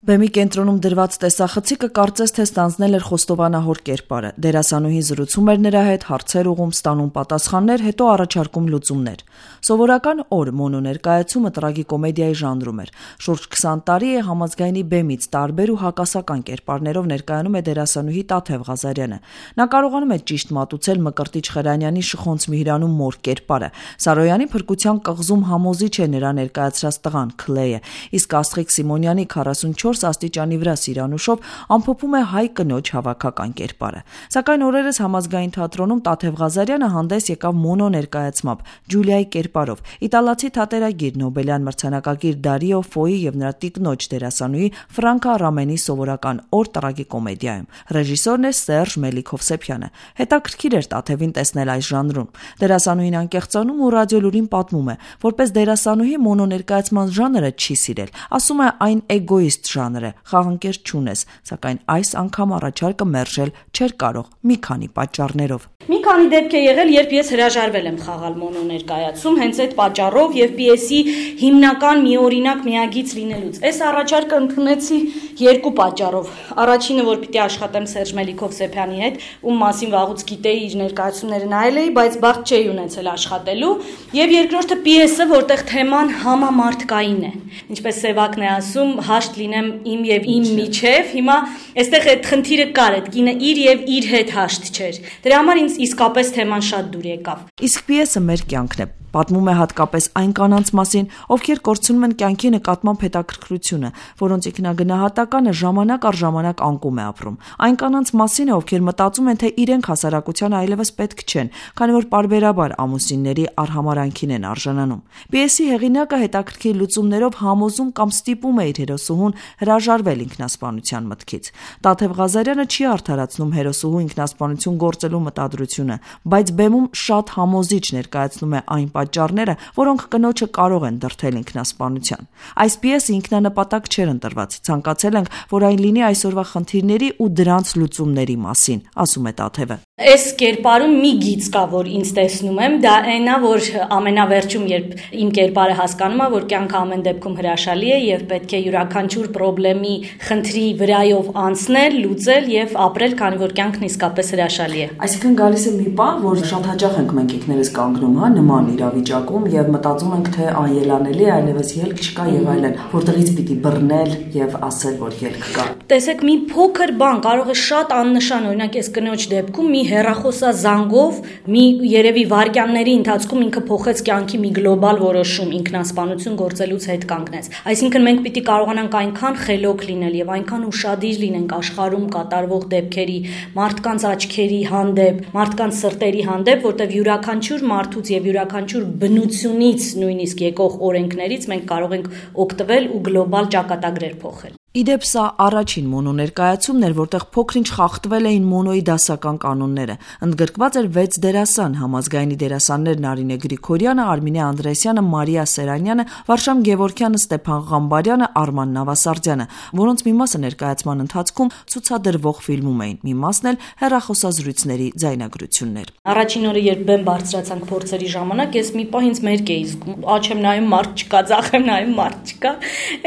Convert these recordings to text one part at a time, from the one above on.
Բեմի կենտրոնում դրված տեսախցիկը կարծես թե ստանձնել էր խոստովանահոր կերպարը, դերասանուհին զրուցում էր նրա հետ, հարցեր ուղղում, ստանում պատասխաններ, հետո առաջարկում լուծումներ։ Սովորական օր մոնո ներկայացումը տրագիկոմեդիայի ժանրում էր։ Շուրջ 20 տարի է համազգայնի բեմից տարբեր ու հակասական կերպարներով ներկայանում է դերասանուհի Տաթև Ղազարյանը։ Նա կարողանում է ճիշտ մատուցել Մկրտիչ Խերանյանի Շխոնց Միհրանում մոր կերպարը։ Սարոյանի փրկության կղզում համոզիչ է նրա ներկայացրած տղան Քլեյը, իսկ Աստղիկ Սիմոնյանի 44 աստիճանի վրա Սիրանուշով ամփոփում է հայ կնոջ հավաքական կերպարը։ Սակայն օրերս համազգային թատրոնում Տաթև Ղազարյանը հանդես եկավ մոնո ներկայացմամբ Ջուլիայի կերպարով։ Իտալացի թատերագիր Նոբելյան մրցանակակիր Դարիո Ֆոյի եւ նրա տիկնոջ դերասանուհի Ֆրանկա Ռամենի սովորական օր տրագիկոմեդիայում։ Ռեժիսորն է Սերժ Մելիքովսեփյանը։ Հետաքրքիր էր Տաթևին տեսնել այս ժանրում։ Դերասանուհին անկեղծանում ու ռադիոլուրին պատմում է, որպես դերասանուհի մոնո ներկայացման ժանրը չի սիրել։ Ասում է այն էգոիստ ժանր է, խաղանկեր չունես, սակայն այս անգամ առաջարկը մերժել չէր կարող մի քանի պատճառներով։ Մի քանի դեպք է եղել, երբ ես հրաժարվել եմ խաղալ մոնո ներկայացում, հենց այդ պատճառով եւ պիեսի հիմնական միօրինակ միագիծ լինելուց։ Այս առաջարկը ընդունեցի երկու պատճառով։ Առաջինը, որ պիտի աշխատեմ Սերժ Մելիքովսեփյանի հետ, ում մասին վաղուց գիտեի, իր ներկայացումները նայել էի, բայց բախտ չէի ունեցել աշխատելու, եւ երկրորդը պիեսը, որտեղ թեման համամարտկային է։ Ինչպես Սևակն է ասում, հաշտ լինեմ իմ եւ իմ միջև, հիմա այստեղ այդ խնդիրը կար, այդ կինը իր եւ իր հետ հաշտ չէր։ Դրա համար ինձ իսկապես թեման շատ դուր եկավ։ Իսկ պիեսը մեր կյանքն է։ Պատմում է հատկապես այն կանանց մասին, ովքեր կորցնում են կյանքի նկատմամբ հետաքրքրությունը, որոնց ինքնագնահատականը ժամանակ առ ժամանակ անկում է ապրում։ Այն կանանց մասին է, ովքեր մտածում են, թե իրենք հասարակության այլևս պետք չեն, քանի որ պարբերաբար ամուսինների արհամարանքին են արժանանում։ Պիեսի հեղինակը հետաքրքիր լուծումներով համոզում կամ ստիպում է իր հերոսուհուն հրաժարվել ինքնասպանության մտքից։ Տաթև Ղազարյանը չի արդարացնում հերոսուհու ինքնասպանություն գործելու մտադրությունը, բայց բեմում շատ համոզիչ ներկայացնում է այն պատճառները, որոնք կնոջը կարող են դրդել ինքնասպանության։ Այս պիեսը ինքնանպատակ չէր ընտրված, ցանկացել ենք, որ այն լինի այսօրվա խնդիրների ու դրանց լուծումների մասին, ասում է Տաթևը։ Այս կերպարում մի գիծ կա, որ ինձ տեսնում եմ, դա այնա, որ ամենավերջում, երբ իմ կերպարը հասկանում է, որ կյանքը ամեն դեպքում հրաշալի է եւ պետք է յուրաքանչյուր խնդրի խնդրի վրայով անցնել, լուծել եւ ապրել, քանի որ կյանքն իսկապես հրաշալի է։ Այսինքն գալիս է մի պահ, որ շատ հաճախ ենք մենք ինքներս կանգնում, նման իրավիճակում եւ մտածում ենք, թե անելանելի է, այլևս ելք չկա եւ այլն, որտեղից պիտի բռնել եւ ասել, որ ելք կա։ Տեսեք, մի փոքր բան կարող է շատ աննշան, օրինակ այս կնոջ դեպքում մի հեռախոսազանգով, մի երևի վայրկյանների ընթացքում ինքը փոխեց կյանքի մի գլոբալ որոշում, ինքնասպանություն գործելուց հետ կանգնեց։ Այսինքն մենք պիտի կարողանանք այնքան խելոք լինել եւ այնքան ուշադիր լինենք աշխարհում կատարվող դեպքերի, մարդկանց աչքերի հանդեպ, մարդկանց սրտերի հանդեպ, որտեղ յուրաքանչյուր մարդուց եւ յուրաքանչյուր բնությունից նույնիսկ եկող օրենքներից մենք կարող ենք օգտվել ու գլոբալ ճակատագրեր փոխել։ Իդեպ սա առաջին մոնո ներկայացումն էր, որտեղ փոքրինչ խախտվել էին մոնոյի դասական կանոնները։ Ընդգրկված էր 6 դերասան, համազգայինի դերասաններ Նարինե Գրիգորյանը, Արմինե Անդրեասյանը, Մարիա Սերանյանը, Վարշամ Գևորգյանը, Ստեփան Ղամբարյանը, Արման Նավասարդյանը, որոնց մի մասը ներկայացման ընթացքում ցուցադրվող ֆիլմում էին, մի մասն էլ հեռախոսազրույցների ձայնագրություններ։ Առաջին օրը, երբ բեմ բարձրացանք փորձերի ժամանակ, ես մի պահ ինձ մերկ էի զգում, աչ եմ նայում, մարդ չկա, ձախ եմ նայում, մարդ չկա։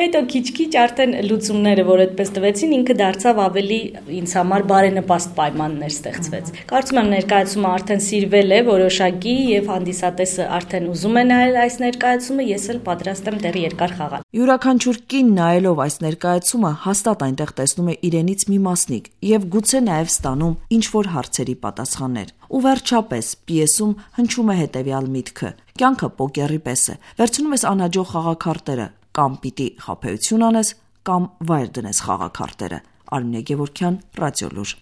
Հետո քիչ-քիչ արդեն լուծումները, որ այդպես տվեցին, ինքը դարձավ ավելի ինձ համար բարենպաստ պայմաններ ստեղծվեց։ Կարծում եմ ներկայացումը արդեն սիրվել է որոշակի եւ հանդիսատեսը արդեն ուզում է նայել այս ներկայացումը, ես էլ պատրաստ եմ դեռ երկար խաղալ։ Յուրաքանչյուր կին նայելով այս ներկայացումը հաստատ այնտեղ տեսնում է իրենից մի մասնիկ եւ գուցե նաեւ ստանում ինչ որ հարցերի պատասխաններ։ Ու վերջապես պիեսում հնչում է հետեւյալ միտքը. կյանքը պոկերի պես է։ Վերցնում ես անհաջող խաղաքարտերը, կամ պիտի խաբեություն անես, կամ վայր դնես խաղաքարտերը։ Արմինե Գևորգյան, Ռադիոլուր։